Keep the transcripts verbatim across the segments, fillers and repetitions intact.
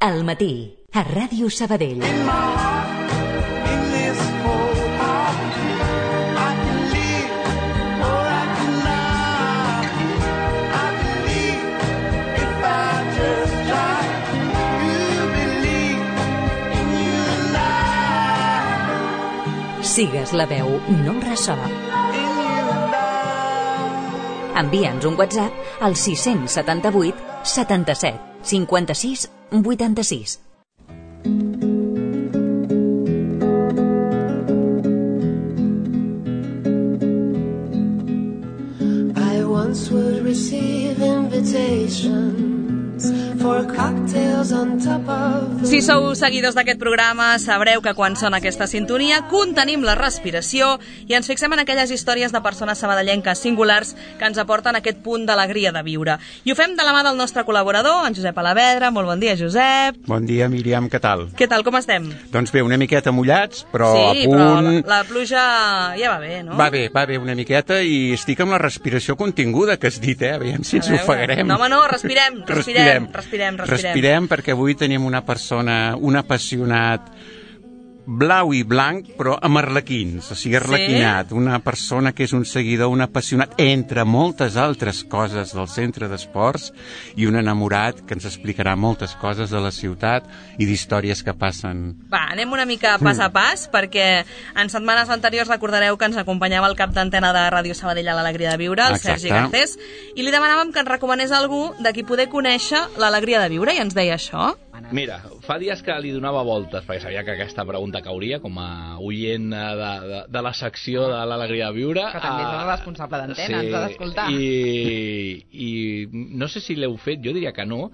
Al matí, a Ràdio Sabadell. Sigues la veu, no ressò. Envia'ns un WhatsApp al sis set vuit setanta-set cinquanta-sis vuitanta-sis. I once would receive invitations for cocktails on top of the... Si sou seguidors d'aquest programa, sabreu que quan sona aquesta sintonia contenim la respiració i ens fixem en aquelles històries de persones sabadellenques singulars que ens aporten aquest punt d'alegria de viure. I ho fem de la mà del nostre col·laborador, en Josep Alavedra. Molt bon dia, Josep. Bon dia, Míriam, què tal? Què tal, com estem? Doncs bé, una miqueta mullats, però sí, a punt... però la, la pluja ja va bé, no? Va bé, va bé una miqueta i estic amb la respiració continguda que has dit, eh? Aviam si ens ofegarem. No, home, no, respirem, respirem, respirem. Respirem, respirem. Respirem perquè avui tenim una persona, un apassionat blau i blanc, però amb arlequins, o sigui, arlequinat. Sí? Una persona que és un seguidor, un apassionat, entre moltes altres coses del centre d'esports, i un enamorat que ens explicarà moltes coses de la ciutat i d'històries que passen. Va, anem una mica pas a pas, perquè en setmanes anteriors recordareu que ens acompanyava el cap d'antena de Ràdio Sabadell a l'Alegria de Viure, el Exacte. Sergi Garcés, i li demanàvem que ens recomanés algú de qui poder conèixer l'Alegria de Viure, i ens deia això. Mira, fa dies que li donava voltes, perquè sabia que aquesta pregunta cauria com a oient de, de, de la secció de l'Alegria de Viure. Que també és el responsable d'antena, ens ha d'escoltar. I, I no sé si l'heu fet, jo diria que no,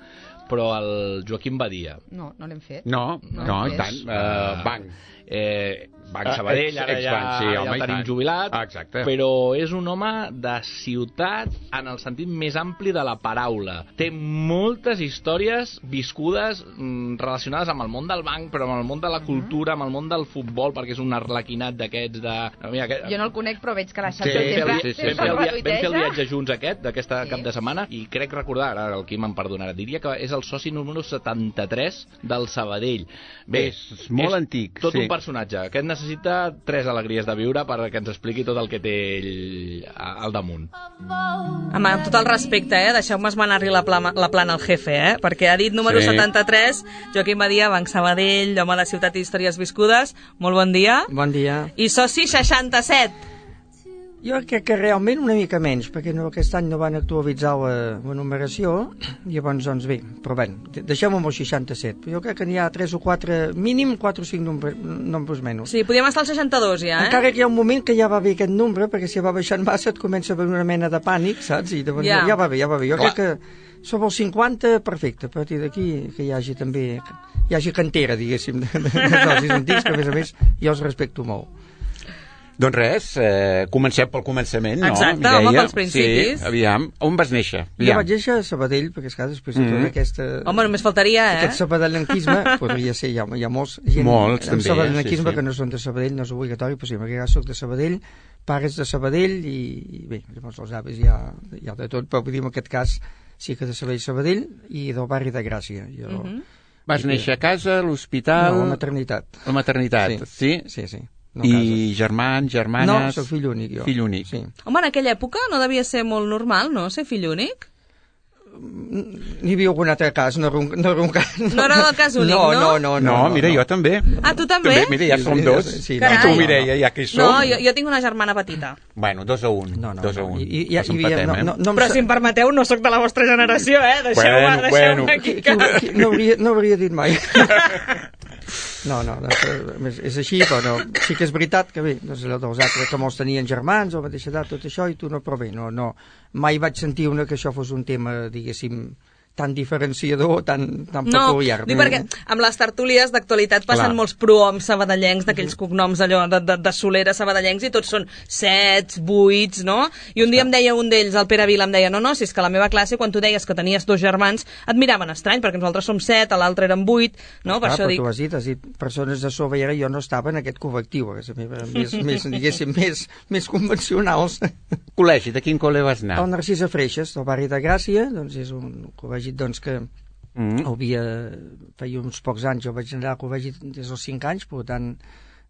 però el Joaquim Badia. No, no l'hem fet. No, no, no i tant. Uh, banc. Eh, Banc Sabadell, ara ja, sí, ja home, el tenim jubilat, ah, exacte. Però és un home de ciutat en el sentit més ampli de la paraula. Té moltes històries viscudes mm, relacionades amb el món del banc, però amb el món de la cultura, amb el món del futbol, perquè és un arlequinat d'aquests de... Mira, aquest... Jo no el conec, però veig que la xarxa sí, sempre, sí, sí, sempre sí. Vam, el fer el viatge junts aquest, d'aquesta sí. cap de setmana, i crec recordar, ara el Quim em perdonarà, diria que és el soci número setanta-tres del Sabadell. Bé, és molt és antic. Tot sí. un personatge. Aquest necessita tres alegries de viure perquè ens expliqui tot el que té ell al damunt. Home, amb tot el respecte, eh? Deixeu-me esmenar-li la, plana, la plana al jefe, eh? Perquè ha dit número sí. setanta-tres, Joaquim Badia, Banc Sabadell, home de Ciutat i Històries Viscudes. Molt bon dia. Bon dia. I soci seixanta-set. Jo crec que realment una mica menys, perquè no, aquest any no van actualitzar la, la numeració, i llavors, doncs bé, però bé, deixem-ho amb el seixanta-set. Però jo crec que n'hi ha tres o quatre, mínim quatre o cinc nombres, nombres menys. Sí, podíem estar al seixanta-dos ja, eh? Encara que hi ha un moment que ja va bé aquest nombre, perquè si va baixant massa et comença a haver una mena de pànic, saps? I llavors ja. ja va bé, ja va bé. Jo Clar. crec que sobre els cinquanta, perfecte. A partir d'aquí que hi hagi també, hi hagi cantera, diguéssim, de, de, de socis antics, que a més a més jo els respecto molt. Doncs res, eh, comencem pel començament, no? Exacte, Mireia? home, pels principis. Sí, aviam, on vas néixer? Aviam. Jo vaig néixer a Sabadell, perquè esclar, després de tota aquesta... Home, només faltaria, eh? Aquest sabadellenquisme, podria ser, hi ha, hi ha molts gent molts, amb també, sabadellenquisme sí, sí. que no són de Sabadell, no és obligatori, però sí, en aquest cas soc de Sabadell, pares de Sabadell, i, i bé, llavors els avis hi ha, hi ha de tot, però vull dir, en aquest cas sí que de Sabadell, Sabadell, i del barri de Gràcia. Jo, uh -huh. Vas néixer a casa, a l'hospital... No, a la maternitat. A la maternitat, sí? Sí, sí. sí. No I germans, germanes... No, soc fill únic, jo. Fill únic. Sí. Home, en aquella època no devia ser molt normal, no?, ser fill únic? N'hi havia algun altre cas, no era un, no era un cas... No, no era el cas únic, no? No, no, no. No, no mira, no. jo també. Ah, tu també? També, mira, ja som dos. Sí, Carai. I tu, Mireia, ja que hi som. No, jo, jo tinc una germana petita. Bueno, dos a un. No, no, dos a no. un. I, i, Ens i, empatem, no, eh? no, no, Però si em permeteu, no sóc de la vostra generació, eh? Deixeu-me Bueno, deixeu bueno. aquí. Qui, qui, qui, no, hauria, no hauria dit mai. No, no, és, és així, però no. Sí que és veritat que bé, doncs, els altres que molts tenien germans o a mateixa edat, tot això, i tu no, però bé, no, no. Mai vaig sentir una que això fos un tema, diguéssim, tan diferenciador, tan, tan no, peculiar. No, dic perquè amb les tertúlies d'actualitat passen Clar. molts prohoms sabadellencs, d'aquells cognoms allò de, de, de solera sabadellencs, i tots són sets, vuits, no? I un dia em deia un d'ells, el Pere Vila, em deia, no, no, si és que a la meva classe, quan tu deies que tenies dos germans, et miraven estrany, perquè nosaltres som set, l'altre eren vuit, no? Per Clar, això però dic... tu has dit, has dit, persones de Sobera, jo no estava en aquest col·lectiu, que més, més, diguéssim, més, més convencionals. Col·legi, de quin col·le vas anar? El Narcís Freixes, del barri de Gràcia, doncs és un col·legi, doncs, que Mm. Havia, feia uns pocs anys, jo vaig anar al col·legi des dels cinc anys, per tant,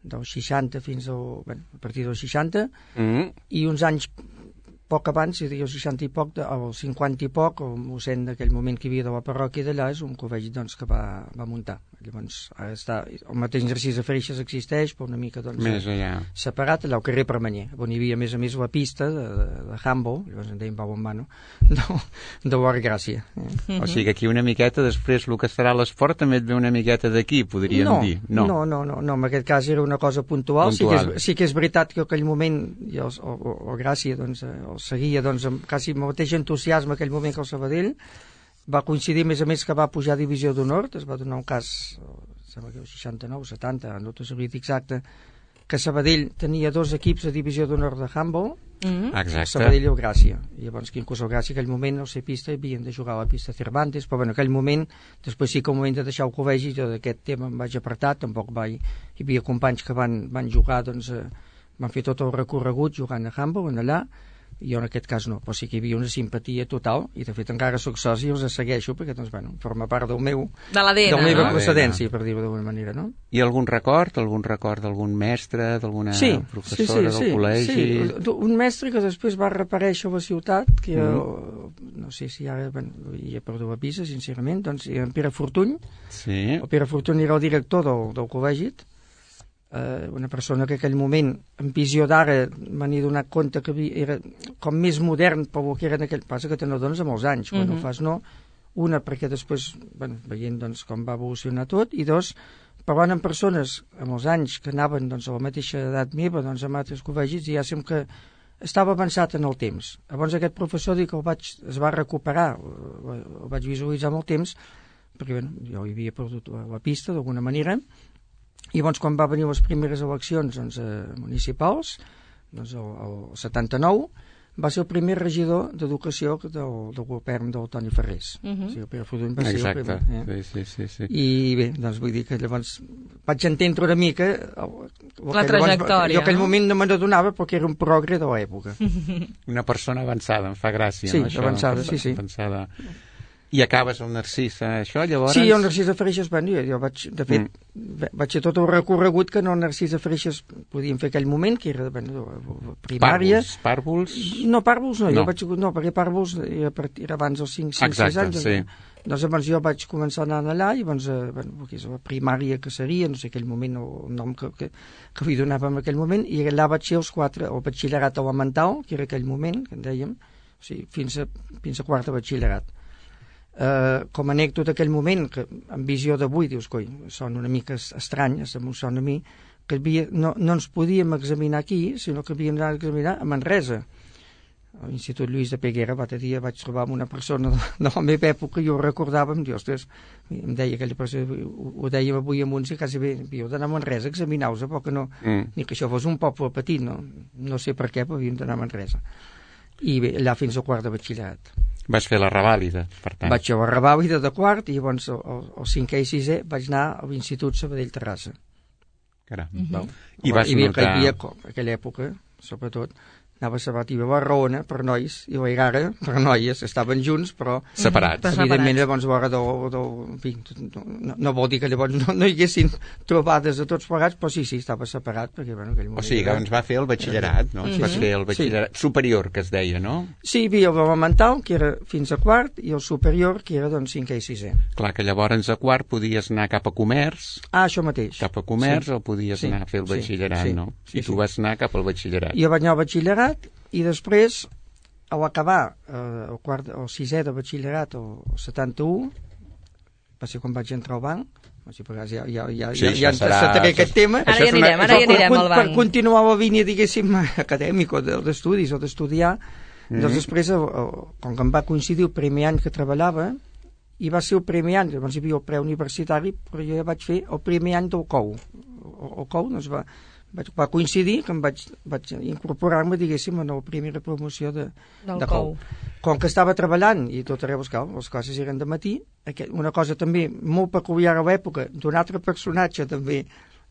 dels seixanta fins al, bueno, a partir dels seixanta, mm. i uns anys poc abans, és a dir, els seixanta i poc, el cinquanta i poc, el mossèn d'aquell moment que hi havia de la parròquia d'allà, és un col·legi doncs, que va, va muntar. Llavors, ara està, el mateix Narcís de Freixes existeix, però una mica doncs, més allà. Separat, allà al carrer Permanyer, on hi havia a més a més la pista de, de, de handball, llavors en deien Pau en Mano, de, de Guard Gràcia. Eh? Mm-hmm. O sigui que aquí una miqueta, després el que serà l'esport també et ve una miqueta d'aquí, podríem no, dir. No, no, no, no, no, en aquest cas era una cosa puntual, puntual. Sí, que és, sí que és veritat que en aquell moment, i el, el, el Gràcia doncs, el seguia doncs, amb quasi el mateix entusiasme aquell moment que el Sabadell, va coincidir més a més que va pujar a divisió d'honor, es va donar un cas, sembla que el seixanta-nou, setanta, no t'ho sabria exacte, que Sabadell tenia dos equips de divisió d'honor de handball, mm-hmm. Exacte. Sabadell i el Gràcia. I llavors que inclús el Gràcia, aquell moment, al ser pista, havien de jugar a la pista Cervantes, però bueno, aquell moment, després sí que al moment de deixar el col·legi, jo d'aquest tema em vaig apartar, tampoc vaig, hi havia companys que van, van jugar, doncs, eh, van fer tot el recorregut jugant a handball, en allà, jo en aquest cas no, però sí que hi havia una simpatia total, i de fet encara soc soci i els segueixo, perquè doncs, bueno, forma part del meu de l'A D N, de la meva no? procedència, per dir-ho d'alguna manera, no? I algun record? Algun record d'algun mestre, d'alguna sí, professora sí, sí, del sí, col·legi? Sí, un mestre que després va reaparèixer a la ciutat, que mm. jo, no sé si ara bueno, hi he perdut la vista, sincerament, doncs en Pere Fortuny, sí. el Pere Fortuny era el director del, del col·legi, Uh, una persona que en aquell moment, en visió d'ara, m'han donat compte que havia, era com més modern pel que era en aquell... Passa que te n'adones a molts anys, quan mm-hmm. ho fas no. Una, perquè després, bueno, veient doncs, com va evolucionar tot, i dos, parlant amb persones amb els anys que anaven doncs, a la mateixa edat meva, doncs, amb altres col·legis, i ja sembla que estava avançat en el temps. Llavors aquest professor dic que el vaig, es va recuperar, el, el vaig visualitzar amb el temps, perquè bueno, jo hi havia perdut la, la pista d'alguna manera. I llavors quan va venir les primeres eleccions doncs, eh, municipals, doncs el, el setanta-nou, va ser el primer regidor d'educació del, del govern del Toni Ferrés. Uh-huh. O sigui, el Pere Fortuny va ser exacte. El primer. Eh? Sí, sí, sí, sí. I bé, doncs vull dir que llavors vaig entendre una mica el, el la trajectòria. Jo en aquell no? moment no me n'adonava perquè era un progre de l'època. Una persona avançada, em fa gràcia. Sí, no, això? avançada, sí, sí. Avançada. I acabes el Narcís, eh, això, llavors... Sí, el Narcís de Freixes, bueno, jo, jo vaig, de fet, mm. vaig fer tot el recorregut que no el Narcís de Freixes podíem fer aquell moment, que era, bueno, primària... Pàrvols, pàrvols? No, pàrvols no, no. jo vaig... No, perquè pàrvols era, era abans dels cinc sis anys. Sí. Doncs llavors jo vaig començar a anar allà i doncs, eh, bueno, que és la primària que seria, no sé aquell moment, el nom que, que, que li donava en aquell moment, i allà vaig ser els quatre, el batxillerat elemental, que era aquell moment, que en dèiem, o sigui, fins a, fins a quart de batxillerat. Uh, com a anècdota aquell moment, que en visió d'avui dius, coi, són una mica estranyes, em sona a mi, que havia, no, no ens podíem examinar aquí, sinó que havíem d'anar a examinar a Manresa. A l'Institut Lluís de Peguera, l'altre dia vaig trobar amb una persona de, de la meva època i ho recordava, em diu, ostres, em deia aquella persona, ho, ho dèiem avui amb uns i quasi bé, havíeu d'anar a Manresa a examinar-vos, perquè no, mm. ni que això fos un poble petit, no, no sé per què, però havíem d'anar a Manresa. I bé, allà fins al quart de batxillerat. Vas fer la revàlida, per tant. Vaig fer la revàlida de quart i llavors el, el, el cinquè i sisè vaig anar a l'Institut Sabadell-Terrassa. Caram. Mm-hmm. I vas I notar... Hi havia, en aquella època, sobretot, anava a Sabat i a Barraona per nois i la Igara per noies, estaven junts però separats. Mm-hmm. Evidentment llavors a l'hora del, del, no, no, no vol dir que llavors no, no hi haguessin trobades de tots plegats, però sí, sí, estava separat perquè, bueno, aquell moment... O sigui, que ens va fer el batxillerat, no? Mm-hmm. Vas fer el batxillerat sí. superior, que es deia, no? Sí, hi havia el elemental, que era fins a quart, i el superior, que era doncs cinquè i sisè. Clar, que llavors a quart podies anar cap a comerç. Ah, això mateix. Cap a comerç, sí. o podies sí. anar a fer el batxillerat, sí. Sí. no? Sí, I tu sí. vas anar cap al batxillerat. Jo vaig anar al batxillerat i després, a l'acabar eh, el, quart, el sisè de batxillerat, el setanta-u, va ser quan vaig entrar al banc, o sigui, ja, ja, ja, sí, ja, ja encetaré aquest tema. Ara hi anirem, ara hi anirem al banc. Per continuar la línia, diguéssim, acadèmica o d'estudis o d'estudiar, mm-hmm. doncs després, el, el, com que em va coincidir el primer any que treballava, i va ser el primer any, llavors hi havia el preuniversitari, però jo ja vaig fer el primer any del C O U. El, el C O U doncs va... va coincidir que em vaig, vaig incorporar-me, diguéssim, en la primera promoció de, de C O U. Com que estava treballant i tot arreu, les classes eren de matí, una cosa també molt peculiar a l'època, d'un altre personatge també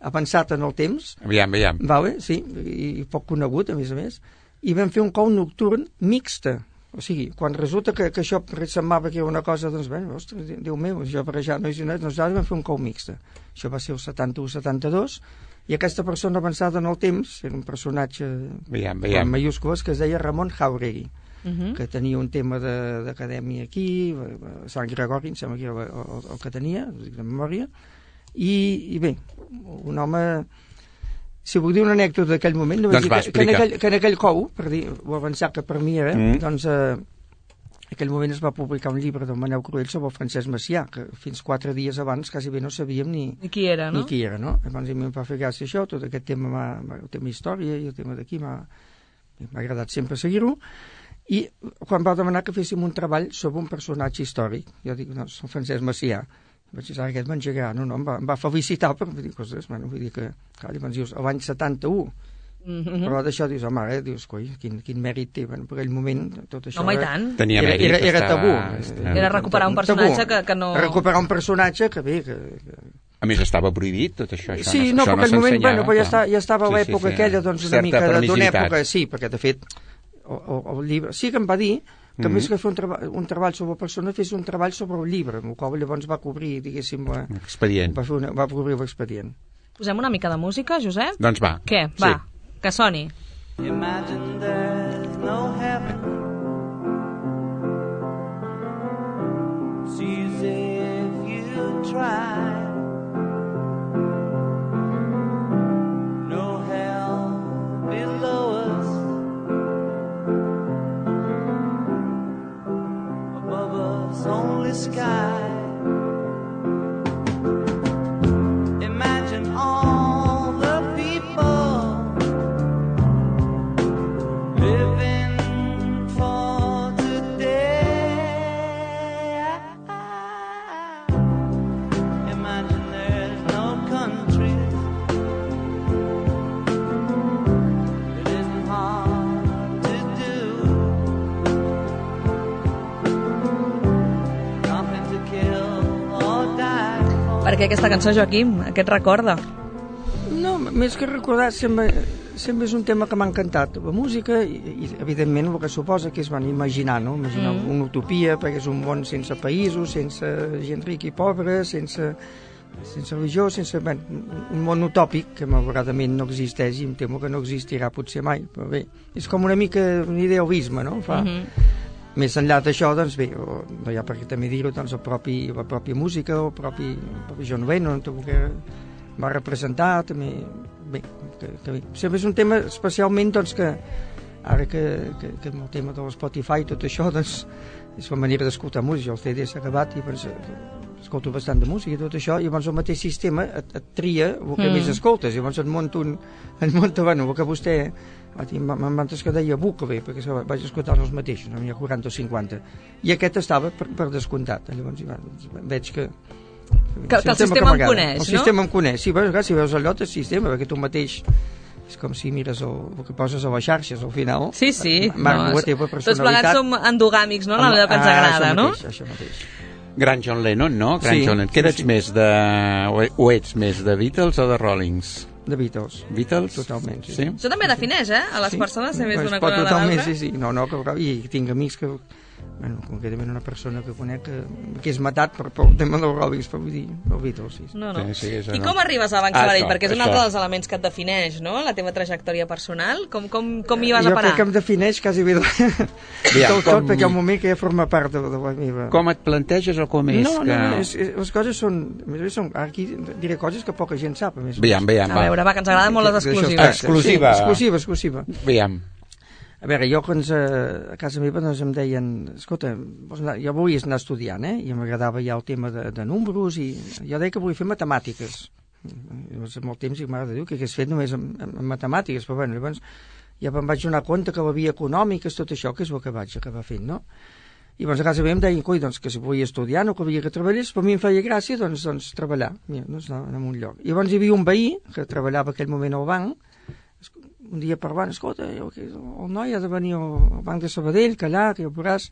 avançat en el temps, aviam, aviam. Vale, sí, i poc conegut, a més a més, i vam fer un C O U nocturn mixta, O sigui, quan resulta que, que això semblava que era una cosa, doncs, bé, ostres, Déu meu, això per això, nois i noies, nosaltres vam fer un cou mixte. Això va ser el setanta-u setanta-dos, i aquesta persona avançada en el temps, era un personatge veiem, veiem. en mayúscules, que es deia Ramon Jauregui, Uh -huh. que tenia un tema d'acadèmia aquí, a Sant Gregori, em sembla que era el, el, el que tenia, de memòria, i, i bé, un home... Si vull dir una anècdota d'aquell moment, no doncs dir va, que, que, en aquell, que en aquell cou, per dir, ho avançar que per mi era, mm. doncs eh, en aquell moment es va publicar un llibre del Manel Cruell sobre el Francesc Macià, que fins quatre dies abans quasi bé no sabíem ni, ni qui era, no? Ni qui era, no? Llavors a mi em va fer gràcia això, tot aquest tema, el tema història i el tema d'aquí m'ha agradat sempre seguir-ho, i quan va demanar que féssim un treball sobre un personatge històric, jo dic, no, el Francesc Macià, vaig dir, aquest m'engegarà, no, no, em va, em va felicitar, però vull dir, coses, bueno, vull dir que, clar, llavors dius, l'any setanta-u, mm -hmm. però d'això dius, home, eh, dius, coi, quin, quin mèrit té, bueno, per aquell moment, tot això... Home, i tant. Tenia era, mèrit, era, era estava... tabú. Era recuperar un personatge que, que no... Recuperar un personatge que bé, que... que... A més, estava prohibit tot això, això sí, no, no, això perquè no al moment, s'ensenyava. bueno, però ja, està, ja estava a sí, l'època sí, sí. aquella, doncs, una certa mica d'una època, sí, perquè de fet, el, el, el llibre... Sí que em va dir que mm -hmm. més que fer un, treba un treball sobre la persona fes un treball sobre el llibre, amb el qual llavors va cobrir, diguéssim, l'expedient. Va, una, va cobrir l'expedient. Posem una mica de música, Josep? Doncs va. Què? Va, sí. Que soni. Imagine there's no heaven. See as if you try. No hell below us. Above us only sky. Imagine all the people living for today. Imagine there's no countries. It isn't hard to do. Nothing to kill or die for. Per què aquesta cançó, Joaquim? Què et recorda? No, més que recordar, sempre, sempre és un tema que m'ha encantat. La música, i, i evidentment el que suposa que és van imaginar, no? Imaginar mm. una utopia, perquè és un món sense països, sense gent rica i pobra, sense, sense religió, sense... Bé, un món utòpic que malauradament no existeix i em temo que no existirà potser mai, però bé, és com una mica un idealisme, no? Fa... Mm -hmm. Més enllà d'això, doncs bé, o, no hi ha per què també dir-ho, doncs el propi, la pròpia música, el propi, el propi John Lennon, que va representar també, bé, que, que bé. Sempre és un tema especialment, doncs, que ara que, que, que amb el tema de l'Spotify i tot això, doncs, és la manera d'escoltar música, el C D s'ha acabat i doncs, escolto bastant de música i tot això, i llavors el mateix sistema et, et tria el que mm. més escoltes, i llavors et monta un, et monta, bueno, el que vostè m'antes que deia Bucové, perquè vaig escoltar els mateixos, n'hi ha quaranta o cinquanta, i aquest estava per, per descomptat, llavors bueno, veig que que, que el sistema em coneix, el no? sistema em coneix, sí, però, si veus allò, el sistema, perquè tu mateix és com si mires el, el que poses a les xarxes al final. Sí, sí. Marc, no, la teva personalitat. Tots plegats som endogàmics, no? Allò que ens ah, agrada, això no? Mateix, això mateix. Gran John Lennon, no? Gran sí, John Lennon. Què ets sí. més de... o ets més de Beatles o de Rollings? De Beatles. Beatles? Totalment, sí. sí? Això també defineix, eh? A les sí. persones, ser més pues d'una cosa o de totalment, l'altra. sí, sí. No, no, que, i tinc amics que... Bueno, concretament una persona que conec que, que és matat per, per el tema dels Rollings, però vull dir, els Beatles, sí. No, no. Sí, sí, és, I no. com arribes a Banc Sabadell? Ah, Perquè és un això. altre dels elements que et defineix, no? La teva trajectòria personal. Com, com, com hi vas jo a parar? Jo crec que em defineix quasi bé de... Aviam, tot, tot, perquè hi ha un moment que ja forma part de, de la meva... Com et planteges o com és no, que... No, no, és, és, les coses són... són aquí diré coses que poca gent sap, a més. Aviam, aviam, a veure, va, que ens agraden molt les exclusives. Exclusiva. Sí, exclusiva, exclusiva. Aviam. A veure, jo quan a casa meva doncs em deien, escolta, jo volies anar estudiant, eh? I m'agradava ja el tema de, de números i jo deia que volia fer matemàtiques. Llavors, amb el temps, m'agrada dir que hagués fet només amb, amb matemàtiques, però bueno, llavors ja em vaig donar compte que la via econòmica és tot això, que és el que vaig acabar fent, no? I llavors a casa meva em deien, coi, doncs, que si volia estudiar no calia que treballés, però a mi em feia gràcia, doncs, doncs treballar, mira, doncs, anar a un lloc. I llavors hi havia un veí que treballava aquell moment al banc, un dia parlant, escolta, el noi ha de venir al banc de Sabadell, que allà, que ja ho veuràs,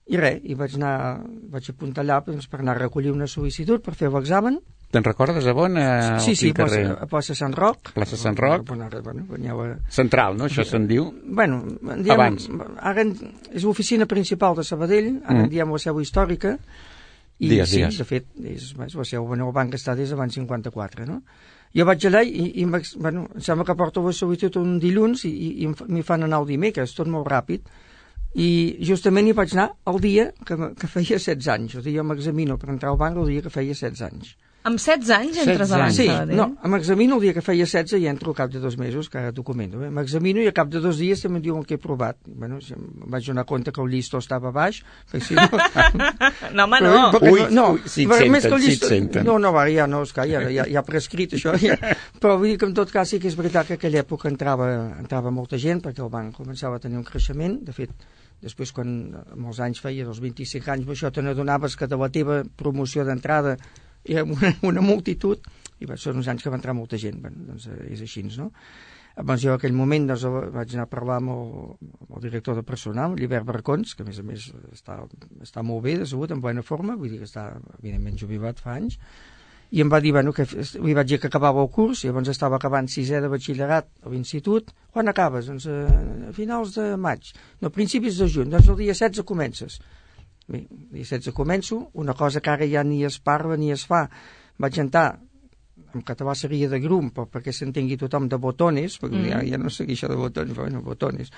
i res, i vaig anar, vaig apuntar allà doncs, per anar a recollir una sol·licitud per fer l'examen, Te'n recordes a on? A, Sí, sí, a, plaça, a plaça Sant Roc. Plaça Sant Roc. Bueno, ara, bueno, veniu a... Central, no? Això se'n diu? Bueno, en diem, Abans. Ara en, és l'oficina principal de Sabadell, ara en Mm. diem la seu històrica, i Digues, sí, digues. de fet, és, és la seu, bueno, el banc està des d'abans cinquanta-quatre, no? Jo vaig allà i, i m'ex- bueno, em sembla que porto la sol·licitud un dilluns i, i, i em fa- m'hi fan anar el dimecres, tot molt ràpid, i justament hi vaig anar el dia que, me- que feia setze anys. O sigui, jo m'examino per entrar al banc el dia que feia setze anys. Amb setze anys entres setze a anys. Sí, Sabadell? no, m'examino el dia que feia setze i entro al cap de dos mesos, que ara documento. Eh? M'examino i al cap de dos dies també em diuen que he provat. Bueno, si em vaig donar compte que el llistó estava baix, perquè si no... No, home, no. Però- perquè Ui, no, ui, si et perquè senten, més que el si et llistó- senten. No, no, va, ja no, esclar, ja, ja, ja ha prescrit això, ja. Però vull dir que en tot cas sí que és veritat que en aquella època entrava, entrava molta gent, perquè el banc començava a tenir un creixement. De fet, després, quan molts anys feia, dels vint-i-cinc anys, això te n'adonaves que de la teva promoció d'entrada era una, una multitud, i va, són uns anys que va entrar molta gent. Bueno, doncs eh, és així, no? Doncs jo en aquell moment doncs, vaig anar a parlar amb el, amb el director de personal, l'Hivert Barcons, que a més a més està, està molt bé de salut, en bona forma, vull dir que està evidentment jubilat fa anys, i em va dir, bueno, que li vaig dir que acabava el curs, i llavors estava acabant sisè de batxillerat a l'institut. Quan acabes? Doncs a finals de maig, no, principis de juny, doncs el dia setze comences. Bé, el dia setze començo, una cosa que ara ja ni es parla ni es fa. Vaig entrar, en català seria de grum, però perquè s'entengui tothom, de botones, perquè mm. ja, ja no sé què això de botones, però bueno, botones.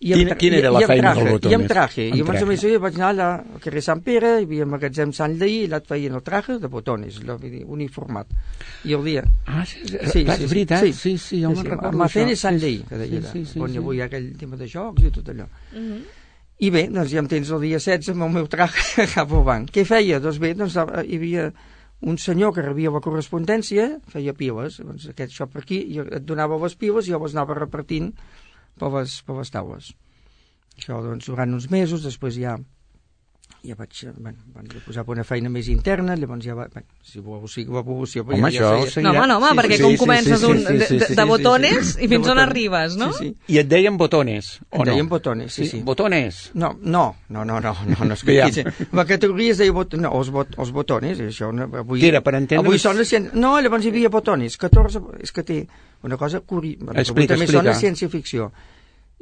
I Quina, quina era la i feina traje, del botones? I amb traje. Amb I llavors a traje. més jo vaig anar allà al carrer Sant Pere, hi havia el magatzem Sant Lleí, i allà et feien el traje de botones, allò, vull dir, uniformat. I el dia... Ah, sí, sí, Sí, clar, sí, és veritat, sí. sí, sí, jo Sí, me'n sí, recordo Macén i això. Sant Lleí, que deia allà, sí, sí, on sí. hi havia aquell tema de jocs i tot allò. I bé, doncs ja em tens el dia setze amb el meu traje cap al banc. Què feia? Doncs bé, doncs hi havia un senyor que rebia la correspondència, feia piles, doncs aquest això per aquí, i et donava les piles i jo les anava repartint per les, per les taules. Això doncs durant uns mesos, després ja ja vaig, bueno, vaig posar una feina més interna, llavors ja va, bueno, si voleu sigui l'evolució... Home, això ja seguirà. No, home, no, home, Sí, perquè sí, com sí, comences sí, un, sí, sí, de, sí, de, sí, de sí, botones sí, sí. i fins De on botones. arribes, no? Sí, sí. I et deien botones, o Em no? deien botones, sí, sí. Botones? No, no, no, no, no, no, no és que Ja. aquí, la categoria es deia bot, no, els, bot, els botones, i això no, avui... Què era, per entendre- Avui sona ciència... No, llavors hi havia botones, catorze... És que té una cosa curi... Explica, també explica. sona ciència-ficció.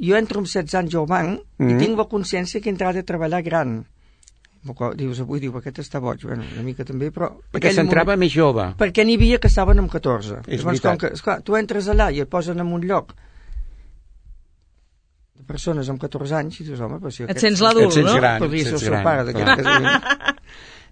Jo entro amb setze anys al banc Mm. i tinc la consciència que he entrat a treballar gran. Dius, avui diu, aquest està boig, bueno, una mica també, però... Perquè aquell s'entrava moment- més jove. Perquè n'hi havia que estaven amb catorze. És Llavors, veritat. com que, esclar, tu entres allà i et posen en un lloc de persones amb catorze anys i dius, home, però si Et aquest- sents l'adult, Et sents no? gran. podria ser el sents seu gran, pare d'aquest clar. casament.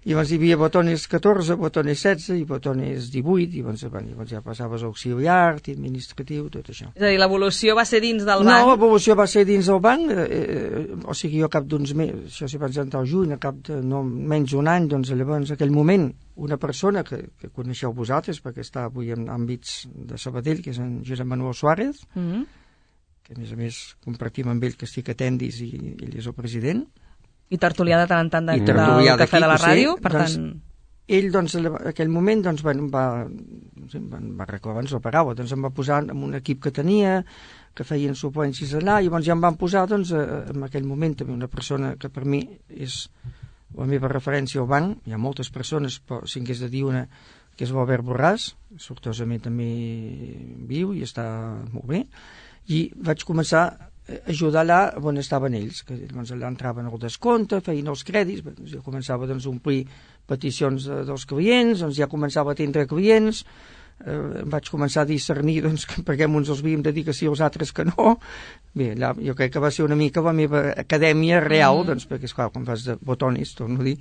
I llavors hi havia botones catorze, botones setze i botones divuit, i llavors, bueno, llavors ja passaves auxiliar, administratiu, tot això. És a dir, l'evolució va ser dins del No, banc. l'evolució va ser dins del banc, eh, eh, o sigui, jo a cap d'uns mesos, això si vaig entrar al juny, a cap de no, menys d'un any, doncs llavors, en aquell moment, una persona que, que coneixeu vosaltres, perquè està avui en àmbits de Sabadell, que és en Josep Manuel Suárez, Mm. que a més a més compartim amb ell que estic a Tendis i ell és el president. I tertulià de tant en tant de, I del tertulià cafè d'aquí, de la que sé, ràdio, per doncs, tant... Ell, doncs, en aquell moment, doncs, bueno, em va, no sé, em va, em va reclamar, ens la pagava, doncs em va posar en un equip que tenia, que feien suplències allà, i llavors ja em van posar, doncs, eh, en aquell moment també una persona que per mi és la meva referència al banc, hi ha moltes persones, però si hagués de dir una, que és l'Albert Borràs, sortosament també viu i està molt bé, i vaig començar a ajudar allà on estaven ells, que doncs, allà entraven al descompte, feien els crèdits, doncs, jo començava doncs, a omplir peticions de, dels clients, doncs ja començava a atendre clients, eh, vaig començar a discernir doncs, que perquè uns els havíem de dir que sí, els altres que no. Bé, allà, jo crec que va ser una mica la meva acadèmia real, mm. doncs, perquè, esclar, quan fas de botones, torno a dir,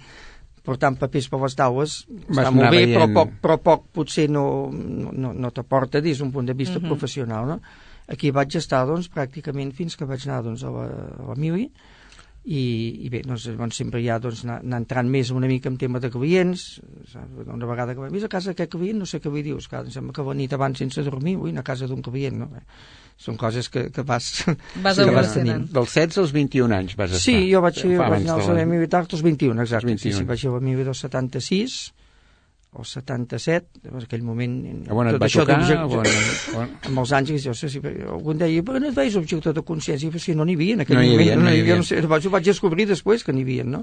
portant papers per les taules, Vas està molt anar bé, veient. però poc, però poc potser no, no, no, no t'aporta des d'un punt de vista Mhm. professional, no? Aquí vaig estar, doncs, pràcticament fins que vaig anar, doncs, a la, a la Mili, i, i bé, doncs, doncs sempre ja doncs, anar, anar entrant més una mica en tema de clients, saps? Una vegada que vaig a casa d'aquest client, no sé què vull dir, esclar, em sembla que la nit abans sense dormir, vull anar a casa d'un client, no? Bé, són coses que, que vas... Vas que evolucionant. Dels setze als vint-i-un anys vas estar. Sí, jo vaig, Fa vaig abans anar al de la- servei militar als vint-i-un, exacte. Als vint-i-un. Sí, sí, vaig anar al militar del setanta-sis, o setanta-set, en aquell moment... A on et tot va això tocar? d'objecte- On- on- amb els anys, jo sé si algú em deia, però no et veus objecte de consciència, però si no n'hi havia en aquell No hi moment, havia, no hi havia. no sé, vaig, ho vaig descobrir després que n'hi havia, no?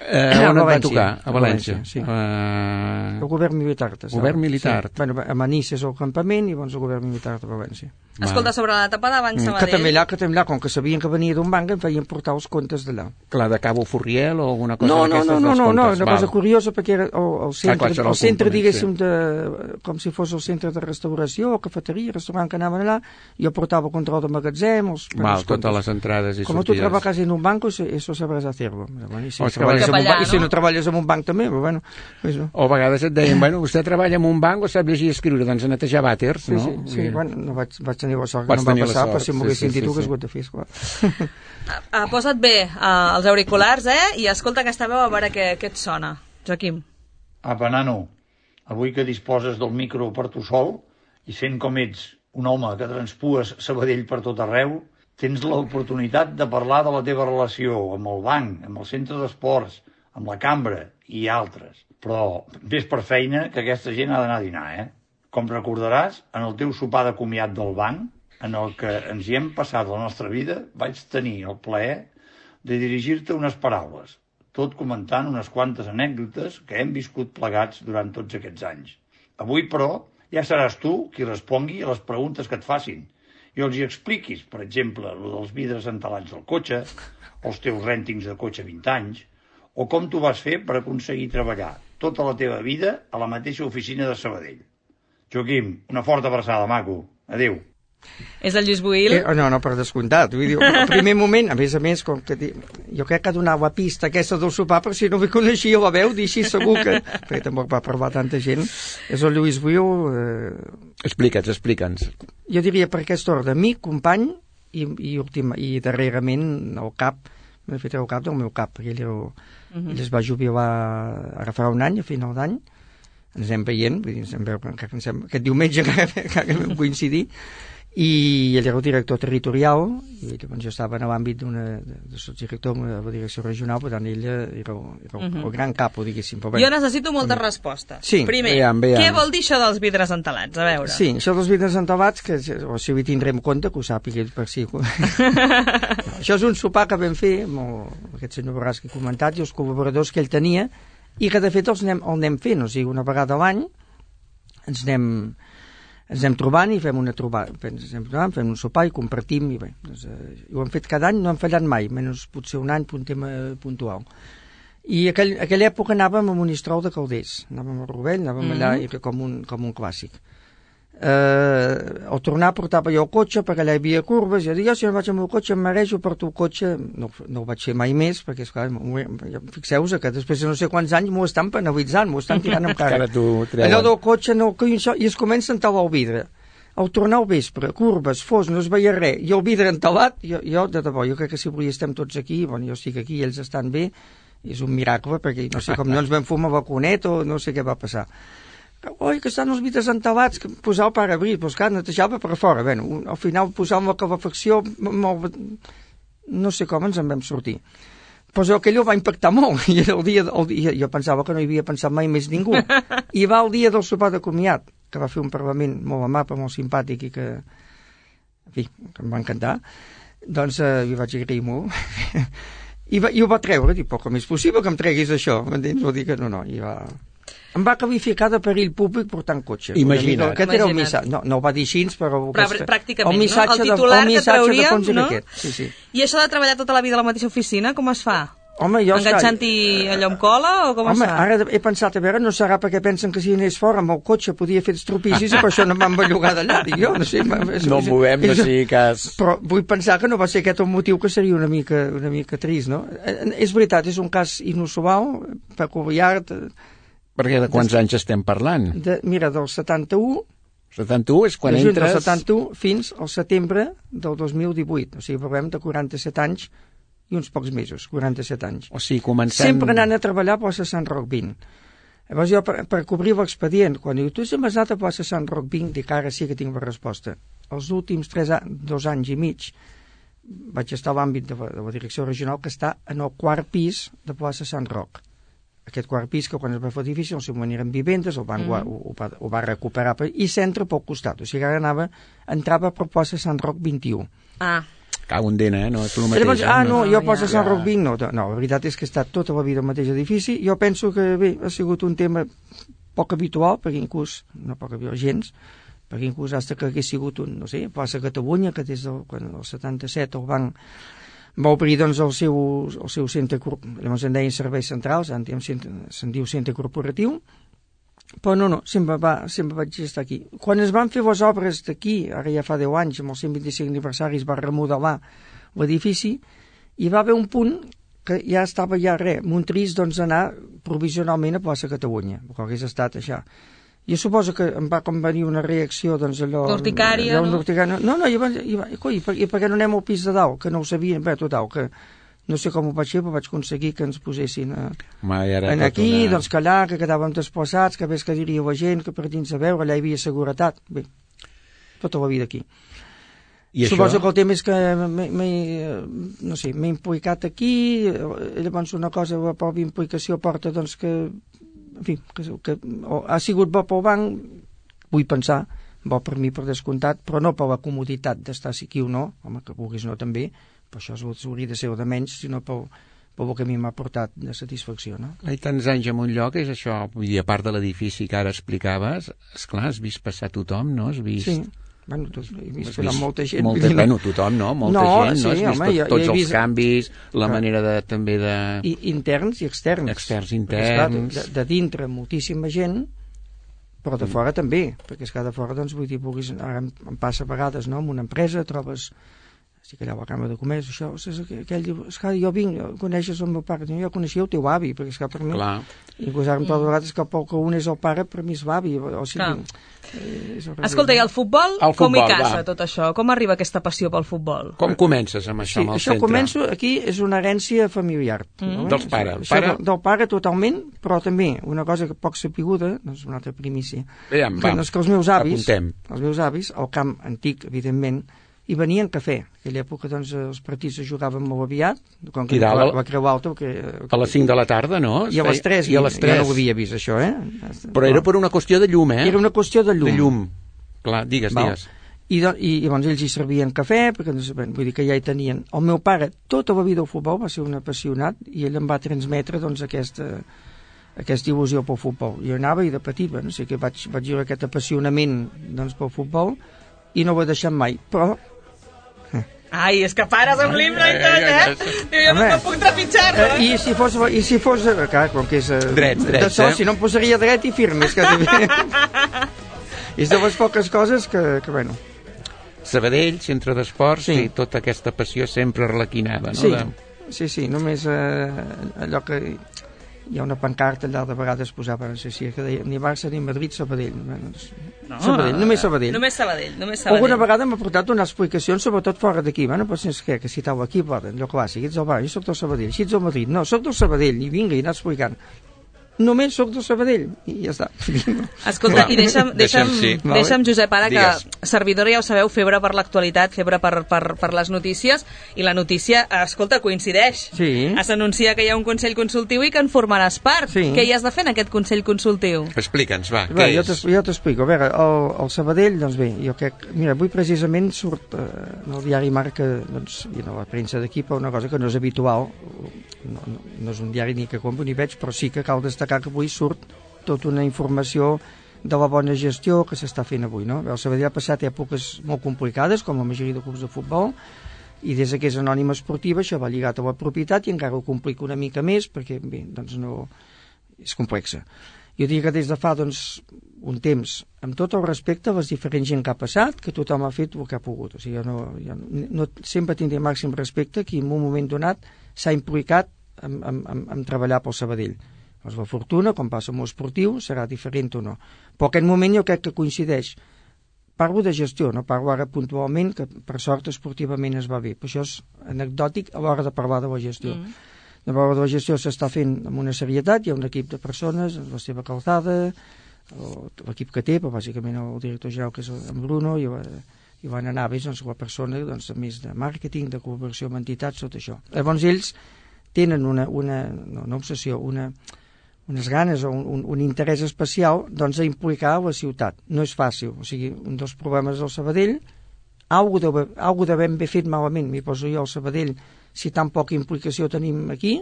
Eh, on et va tocar? A València. Sí. Uh... El govern militar. Govern militar. Sí. Bueno, a Manís és el campament i llavors el govern militar de València. Escolta, sobre l'etapa de Banc Sabadell... Que també allà, que també allà, com que sabien que venia d'un banc, em feien portar els comptes d'allà. Clar, de Cabo Furriel o alguna cosa no, no, d'aquestes no, no, dels no, no, comptes? una cosa curiosa, perquè era el, el centre, ah, clar, el centre diguéssim, sí. de, com si fos el centre de restauració, o cafeteria, restaurant que anaven allà, jo portava el control de magatzem, els, Val, totes les entrades i com sortides. Com tu trabajas en un banco, eso sabrás hacerlo. Bueno, i, si oh, treballes en un allà, banc, no? I si no treballes en un banc també, però bueno... Pues no. O a vegades et deien, bueno, vostè treballa en un banc o sap llegir i escriure, doncs a netejar vàters, sí, no? Sí, sí, sí. Bueno, no vaig, vaig tenir la sort Vaig que no em va passar, sort, però si m'ho haguessin sí, dit sí, ho hagués sí. hagut de fer, esclar. Uh, posa't bé uh, els auriculars, eh? I escolta aquesta veu a veure què, què et sona. Joaquim. Apa, nano, avui que disposes del micro per tu sol i sent com ets un home que transpues Sabadell per tot arreu, tens l'oportunitat de parlar de la teva relació amb el banc, amb el centre d'esports, amb la cambra i altres. Però ves per feina que aquesta gent ha d'anar a dinar, eh? Com recordaràs, en el teu sopar de comiat del banc, en el que ens hi hem passat la nostra vida, vaig tenir el plaer de dirigir-te unes paraules, tot comentant unes quantes anècdotes que hem viscut plegats durant tots aquests anys. Avui, però, ja seràs tu qui respongui a les preguntes que et facin i els hi expliquis, per exemple, lo dels vidres entelats del cotxe, els teus rèntings de cotxe vint anys, o com tu vas fer per aconseguir treballar tota la teva vida a la mateixa oficina de Sabadell. Joaquim, una forta abraçada, maco. Adéu. És el Lluís Buil? Eh, no, no, per descomptat. Vull dir, al primer moment, a més a més, com que jo crec que donava pista aquesta del sopar, però si no me coneixia la veu, d'així segur que... perquè tampoc va parlar tanta gent. És el Lluís Buil... Eh... Explica'ns, explica'ns. Jo diria per aquest ordre, amic, company i, i, últim, i darrerament el cap, m'he fet el cap del meu cap, perquè ell, era, uh -huh. ell es va jubilar ara fa un any, a final d'any, ens anem veient, vull dir, ens veu, que, que ens hem, aquest diumenge que vam coincidir, i ell era el director territorial i llavors jo estava en l'àmbit d'una de, de subdirector de la direcció regional, per tant ell era, el, era el, uh -huh. el gran capo, diguéssim. Però, jo necessito moltes um... respostes. Sí. Primer, veiem, veiem. què vol dir això dels vidres entelats? A veure. Sí, això dels vidres entelats, que o si ho tindrem compte, que ho sàpiga ell per si. Això és un sopar que vam fer amb el, aquest senyor Borràs que he comentat i els col·laboradors que ell tenia i que de fet els anem, el anem fent, o sigui, una vegada a l'any ens anem ens anem trobant i fem una trobada, ens anem trobant, fem un sopar i compartim, i bé, doncs, eh, ho hem fet cada any, no hem fallat mai, menys potser un any per un tema puntual. I aquell, aquella època anàvem a Monistrol de Calders, anàvem a Rovell, anàvem mm -hmm. allà, i era com un, com un clàssic. Eh, al tornar portava jo el cotxe, perquè allà hi havia curves, i jo dic, jo si no vaig amb el cotxe em marejo, porto el cotxe, no, no ho vaig fer mai més, perquè esclar, fixeu-vos que després de no sé quants anys m'ho estan penalitzant, m'ho estan tirant amb cara. Allò del cotxe, no, i es comença a entelar el vidre. Al tornar al vespre, curves, fos, no es veia res, i el vidre entelat, jo, jo de debò, jo crec que si avui estem tots aquí, bueno, jo estic aquí i ells estan bé, és un miracle, perquè no sé com no ens vam fumar balconet o no sé què va passar. Oi, que estan els vidres entelats, que posar el parabrís, doncs clar, netejava per fora. Bé, al final posàvem la calefacció, molt... no sé com ens en vam sortir. Però aquell va impactar molt, i era el dia, el dia, jo pensava que no hi havia pensat mai més ningú. I va el dia del sopar de comiat, que va fer un parlament molt amable, molt simpàtic i que, en fi, que em va encantar. Doncs eh, hi vaig agrair molt. I, va, I ho va treure, dic, però com és possible que em treguis això? M'entens? Vull dir que no, no, i va... Em va qualificar de perill públic portant cotxe. Imagina't. Aquest era el missatge. No, no ho va dir així, però... Però aquesta, pràcticament, el missatge no? El titular de, el que trauríem, de no? Aquest. Sí, sí. I això de treballar tota la vida a la mateixa oficina, com es fa? Home, jo... Enganxant-hi allò amb cola o com Home, es fa? ara he pensat, a veure, no serà perquè pensen que si anés fora amb el cotxe podia fer estropicis i per això no m'han bellugat d'allà, dic jo, no sé. No movem, no sigui cas... Però vull pensar que no va ser aquest el motiu, que seria una mica, una mica trist, no? És veritat, és un cas inusual, peculiar... Perquè de quants anys estem parlant? De, mira, del setanta-u... setanta-u és quan de juny entres... del setanta-u fins al setembre del dos mil divuit. O sigui, parlem de quaranta-set anys i uns pocs mesos, quaranta-set anys. O sigui, comencem... Sempre anant a treballar a plaça Sant Roc vint. Llavors jo, per, per cobrir l'expedient, quan diu, tu has anat a plaça Sant Roc vint, dic, ara sí que tinc la resposta. Els últims tres anys, dos anys i mig vaig estar a l'àmbit de, de la direcció regional, que està en el quart pis de plaça Sant Roc. Aquest quart pis, que quan es va fer difícil, al seu moment eren vivendes, el banc mm. ho, ho, va, ho va recuperar, i centre pel costat, o sigui, ara anava, entrava per plaça Sant Roc vint-i-u. Ah. Cau un dena, eh? No és el mateix. Llavors, ah, no, no, jo ja. poso Sant Roc Vinc, no, no, la veritat és que ha estat tota la vida al mateix edifici. Jo penso que, bé, ha sigut un tema poc habitual, perquè inclús, no poc habitual, gens, perquè inclús hasta que hagués sigut un, no sé, plaça Catalunya, que des del, quan, el setanta-set el banc va obrir doncs, el, seu, el seu centre, llavors en deien serveis centrals, ara se'n diu centre corporatiu, però no, no, sempre, va, sempre vaig estar aquí. Quan es van fer les obres d'aquí, ara ja fa deu anys, amb els cent vint-i-cinc aniversaris, va remodelar l'edifici, i va haver un punt que ja estava ja res, Montrís, doncs, anar provisionalment a plaça Catalunya, que hagués estat això. Jo suposo que em va com venir una reacció, doncs, allò... Urticària, allò, no? Urticària, no, no, i, va, i, va, coi, i, per, i per què no anem al pis de dalt, que no ho sabien, bé, total, que no sé com ho vaig fer, però vaig aconseguir que ens posessin a, en aquí, una... doncs que allà, que quedàvem desplaçats, que ves que diria la gent, que per dins a veure, allà hi havia seguretat. Bé, tota la vida aquí. I Suposo això? que el tema és que m'he, no sé, m'he implicat aquí, llavors una cosa, la pròpia implicació porta, doncs, que, en fi, que, que ha sigut bo pel banc, vull pensar, bo per mi per descomptat, però no per la comoditat d'estar aquí o no, home, que vulguis no també, però això hauria de ser de menys, sinó pel, pel que a mi m'ha portat de satisfacció, no? Hi tants anys en un lloc, és això, vull dir, a part de l'edifici que ara explicaves, esclar, has vist passar tothom, no? Has vist... Sí, bueno, tot, he vist, vist vist molta gent. Molta, bueno, tothom, no? Molta no, gent, sí, no? Has vist home, tot, jo, tots jo els vist... canvis, la Clar. manera de, també de... I, interns i externs. Externs, Perquè, esclar, interns... de, de dintre moltíssima gent, però de fora també, perquè és que de fora, doncs, vull dir, vulguis, ara em, em passa a vegades, no?, en una empresa, trobes... estic allà a la Cambra de Comerç, això, és que aquell diu, esclar, jo vinc, coneixes el meu pare, jo coneixia el teu avi, perquè esclar, per mi, Clar. inclús ara em trobo a vegades que pel que un és el pare, per mi és l'avi, o sigui, eh, és el Escolta, i el futbol, El com hi futbol, casa va. tot això? Com arriba aquesta passió pel futbol? Com comences amb això, Sí, amb el això centre? començo, aquí és una herència familiar. Mm. No? Dels pares. Això, Pare- del, del pare totalment, però també una cosa que poc sapiguda, doncs una altra primícia, Aviam, que, va, doncs que els meus avis, apuntem. els meus avis, al camp antic, evidentment, hi venien cafè. En aquella època, doncs, els partits es jugaven molt aviat, com que I dalt, la, la Creu Alta... Que, A les cinc de la tarda, no? Es I a les feia- tres, I a les jo tres. no ho havia vist, això, eh? Però era per una qüestió de llum, eh? Era una qüestió de llum. De llum. Clar, digues, Val? digues. I, do, i, i llavors ells hi servien cafè, perquè doncs, bé, vull dir que ja hi tenien. El meu pare, tota la vida al futbol, va ser un apassionat, i ell em va transmetre doncs, aquesta, aquesta il·lusió pel futbol. Jo anava i de petit, bueno, sí que vaig, vaig viure aquest apassionament doncs, pel futbol, i no ho he deixat mai, però... Ai, és que pares amb l'himne i tot, eh? Diu, jo no, Home. no puc trepitjar-lo, Eh, I si fos, i si fos eh, clar, com que és... Eh, Drets, drets, de sol, eh? Si no em posaria dret i firme, és que... és de les poques coses que, que bueno... Sabadell, centre d'esports, Sí. i tota aquesta passió sempre arlequinada, no? Sí, De... sí, sí, només eh, allò que hi ha una pancarta allà de vegades posava, no sé si que deia ni Barça ni Madrid, Sabadell. Bueno, doncs, No, Sabadell, només Sabadell. Només Sabadell, només Sabadell. Alguna vegada m'ha portat unes explicacions, sobretot fora d'aquí. Bueno, però és que, que si tau aquí, poden, allò clàssic, ets del Barça, jo soc del Sabadell, si ets del Madrid, no, soc del Sabadell, i vinga, i anar explicant. Només soc del Sabadell, i ja està. Escolta, Clar. i deixa'm, deixa'm, Deixa'm, sí. deixa'm, Josep, ara Digues. que servidora, ja ho sabeu, febre per l'actualitat, febre per, per, per les notícies, i la notícia, escolta, coincideix. Sí. S'anuncia que hi ha un Consell Consultiu i que en formaràs part. Sí. Què hi has de fer en aquest Consell Consultiu? Explica'ns, va, Bé, què jo és? t'es- jo t'explico. A veure, el, el Sabadell, doncs bé, jo crec... Mira, avui precisament surt eh, en el diari Marca, doncs, i en la premsa d'aquí, per una cosa que no és habitual, no, no, no és un diari ni que compro ni veig, però sí que cal destacar que avui surt tota una informació de la bona gestió que s'està fent avui, no? El Sabadell ha passat èpoques molt complicades, com la majoria de clubs de futbol, i des que és anònima esportiva això va lligat a la propietat i encara ho complica una mica més perquè, bé, doncs no... és complexa. Jo diria que des de fa, doncs, un temps, amb tot el respecte a les diferents gent que ha passat, que tothom ha fet el que ha pogut. O sigui, jo no, jo no, sempre tindré màxim respecte qui en un moment donat s'ha implicat en, en, en, en treballar pel Sabadell. Doncs la fortuna, com passa amb l'esportiu, serà diferent o no. Però aquest moment jo crec que coincideix. Parlo de gestió, no parlo ara puntualment, que per sort esportivament es va bé. Però això és anecdòtic a l'hora de parlar de la gestió. Mm. A l'hora de la gestió s'està fent amb una serietat, hi ha un equip de persones, la seva calçada, l'equip que té, però bàsicament el director general, que és en Bruno, i, i van anar bé, doncs, la persona, doncs, més de màrqueting, de col·laboració amb entitats, tot això. Llavors ells tenen una, una, no, una obsessió, una, unes ganes o un, un, un interès especial doncs, a implicar la ciutat. No és fàcil. O sigui, un dels problemes del Sabadell alguna de ben bé fet malament, m'hi poso jo al Sabadell, si tan poca implicació tenim aquí,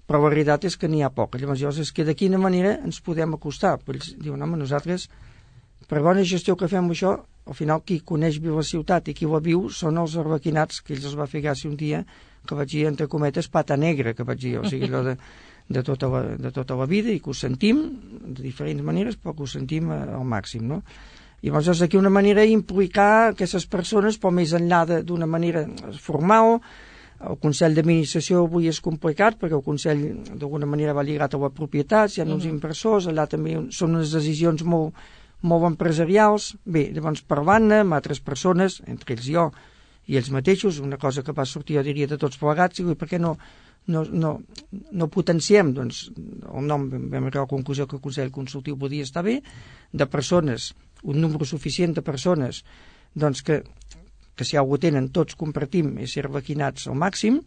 però la veritat és que n'hi ha poca. Llavors, és que de quina manera ens podem acostar? Però ells diuen, home, nosaltres, per bona gestió que fem això, al final qui coneix bé la ciutat i qui la viu són els arbequinats, que ells els va fer gràcia un dia, que vaig dir, entre cometes, pata negra, que vaig dir, o sigui, allò de, de, tota la, de tota la vida, i que ho sentim de diferents maneres, però que ho sentim al màxim, no? I llavors aquí una manera d'implicar aquestes persones, però més enllà d'una manera formal. El Consell d'Administració avui és complicat perquè el Consell d'alguna manera va lligat a la propietat, hi ha uns inversors, allà també són unes decisions molt, molt empresarials. Bé, llavors parlant-ne amb altres persones, entre ells jo i ells mateixos, una cosa que va sortir, jo diria, de tots plegats, i per què no, no, no, no potenciem, doncs, el nom, vam arribar a la conclusió que el Consell Consultiu podia estar bé, de persones, un número suficient de persones, doncs que que si algú tenen, tots compartim i ser vaquinats al màxim,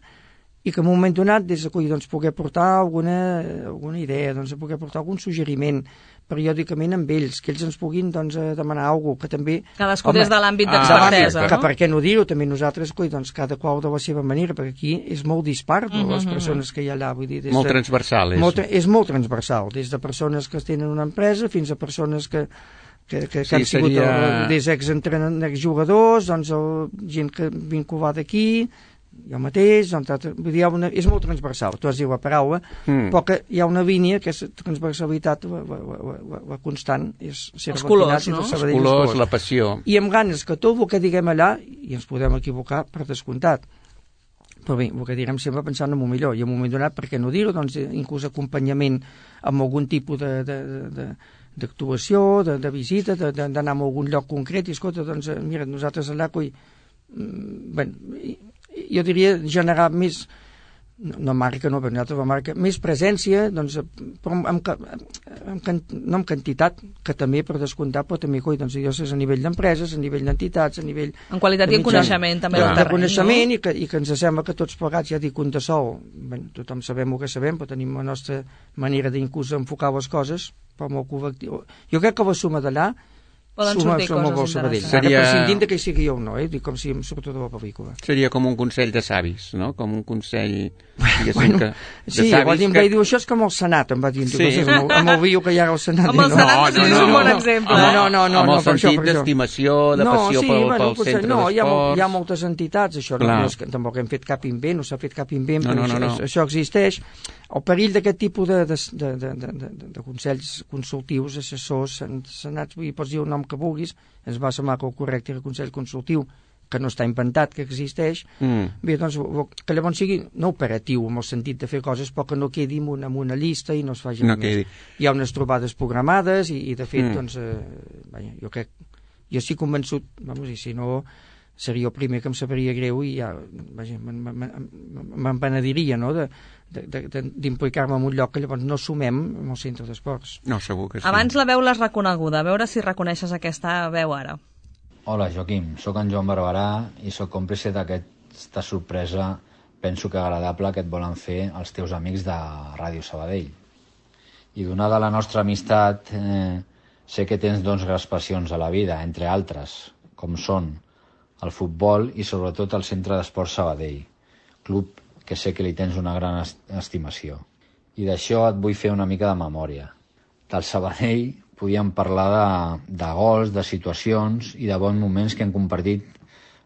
i que en un moment donat, des d'aquí, doncs, poder portar alguna, alguna idea, doncs, poder portar algun suggeriment periòdicament amb ells, que ells ens puguin, doncs, demanar alguna cosa, que també... Cadascú des de l'àmbit ah, d'expertesa, no? Que per què no dir-ho, també nosaltres, coi, doncs, cada qual de la seva manera, perquè aquí és molt dispar, mm -hmm. les persones que hi ha allà, vull dir... Molt de, transversal, és. Molt, és molt transversal, des de persones que tenen una empresa fins a persones que que, que, que sí, han sigut seria... el, des exjugadors, doncs el, gent que vinculada aquí, jo mateix, doncs, vull dir, una, és molt transversal, tu has dit la paraula, mm. però que hi ha una línia que és transversalitat, la, la, la, la, la constant, és ser els colors, no? Els colors, colors, la passió. I amb ganes que tot el que diguem allà, i ens podem equivocar per descomptat, però bé, el que direm sempre pensant en el millor, i en un moment donat, per què no dir-ho, doncs, inclús acompanyament amb algun tipus de... de, de, de d'actuació, de, de visita, d'anar a algun lloc concret, i escolta, doncs, mira, nosaltres allà, coi, bé, jo diria generar més, no, no marca, no, però nosaltres la marca, més presència, doncs, però amb, amb, amb, no amb quantitat, que també per descomptar, però també, coi, doncs, jo sé, a nivell d'empreses, a nivell d'entitats, a nivell... En qualitat i en coneixement, també, del terreny, de coneixement, no? i, que, i que ens sembla que tots plegats, ja dic, un de sol, bé, tothom sabem el que sabem, però tenim la nostra manera d'inclús enfocar les coses, però molt col·lectiu. Jo crec que la suma d'allà poden suma, sortir suma coses interessants. Seria... Ara prescindint que hi sigui jo o no, eh? Dic com si em surto de la pel·lícula. Seria com un consell de savis, no? Com un consell... Bueno, que, sí, va dir, em que... diu, això és com el Senat, em va dir, sí. Diu, amb, el, amb el vídeo que hi ha al Senat. Amb el Senat no, no, no, és un bon no, exemple. No, no, no, no, amb el no, sentit això, d'estimació, de no, passió sí, pel, bueno, pel centre no, d'esports. Hi ha, hi ha moltes entitats, això, no, no és que tampoc hem fet cap invent, no s'ha fet cap invent, no, però no, no, això, no. això existeix. El perill d'aquest tipus de, de, de, de, de, de, de consells consultius, assessors, senats, i pots dir el nom que vulguis, ens va semblar que el correcte era el consell consultiu, que no està inventat, que existeix, mm. bé, doncs, que llavors sigui no operatiu, en el sentit de fer coses, però que no quedi en una, en una llista i no es faci no més. Quedi. Hi ha unes trobades programades i, i de fet, mm. doncs, eh, vaja, jo crec, jo estic convençut, vamos, i si no, seria el primer que em sabria greu i ja, vaja, me'n penediria, no?, de, d'implicar-me en un lloc que llavors no sumem amb el centre d'esports. No, segur que sí. Abans la veu l'has reconeguda, a veure si reconeixes aquesta veu ara. Hola, Joaquim, sóc en Joan Barberà i sóc còmplice d'aquesta sorpresa, penso que agradable, que et volen fer els teus amics de Ràdio Sabadell. I donada la nostra amistat, eh, sé que tens doncs grans passions a la vida, entre altres, com són el futbol i sobretot el Centre d'Esports Sabadell, club que sé que li tens una gran estimació. I d'això et vull fer una mica de memòria. Del Sabadell podíem parlar de, de gols, de situacions i de bons moments que hem compartit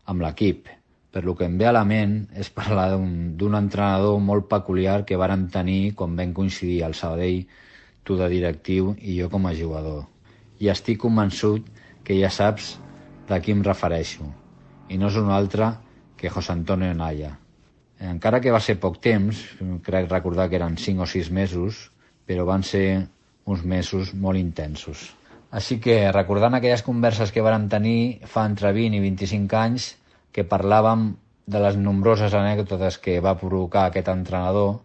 amb l'equip. Per lo que em ve a la ment és parlar d'un entrenador molt peculiar que vàrem tenir quan vam coincidir al Sabadell, tu de directiu i jo com a jugador. I estic convençut que ja saps de qui em refereixo. I no és un altre que José Antonio Naya. Encara que va ser poc temps, crec recordar que eren cinc o sis mesos, però van ser uns mesos molt intensos. Així que, recordant aquelles converses que vàrem tenir fa entre vint i vint-i-cinc anys, que parlàvem de les nombroses anècdotes que va provocar aquest entrenador,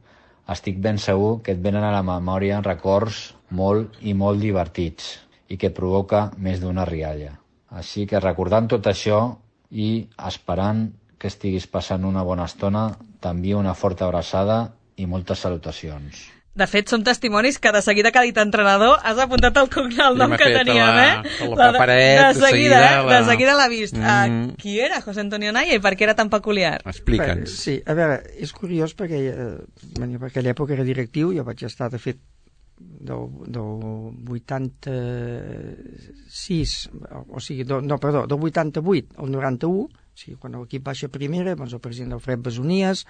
estic ben segur que et venen a la memòria records molt i molt divertits i que provoca més d'una rialla. Així que, recordant tot això i esperant que estiguis passant una bona estona, t'envio una forta abraçada i moltes salutacions. De fet, som testimonis que de seguida que ha dit entrenador has apuntat el cognom nom que teníem, la, eh? La, la paperet, de, de seguida, de seguida, eh? la... de seguida l'ha vist. Mm. Uh, qui era José Antonio Naya i per què era tan peculiar? Explica'ns. Sí, a veure, és curiós perquè eh, per aquella època era directiu, jo vaig estar, de fet, del, del vuitanta-sis, o sigui, do, no, perdó, del vuitanta-vuit al noranta-u, o sigui, quan l'equip baixa a primera, doncs el president Alfred Besonies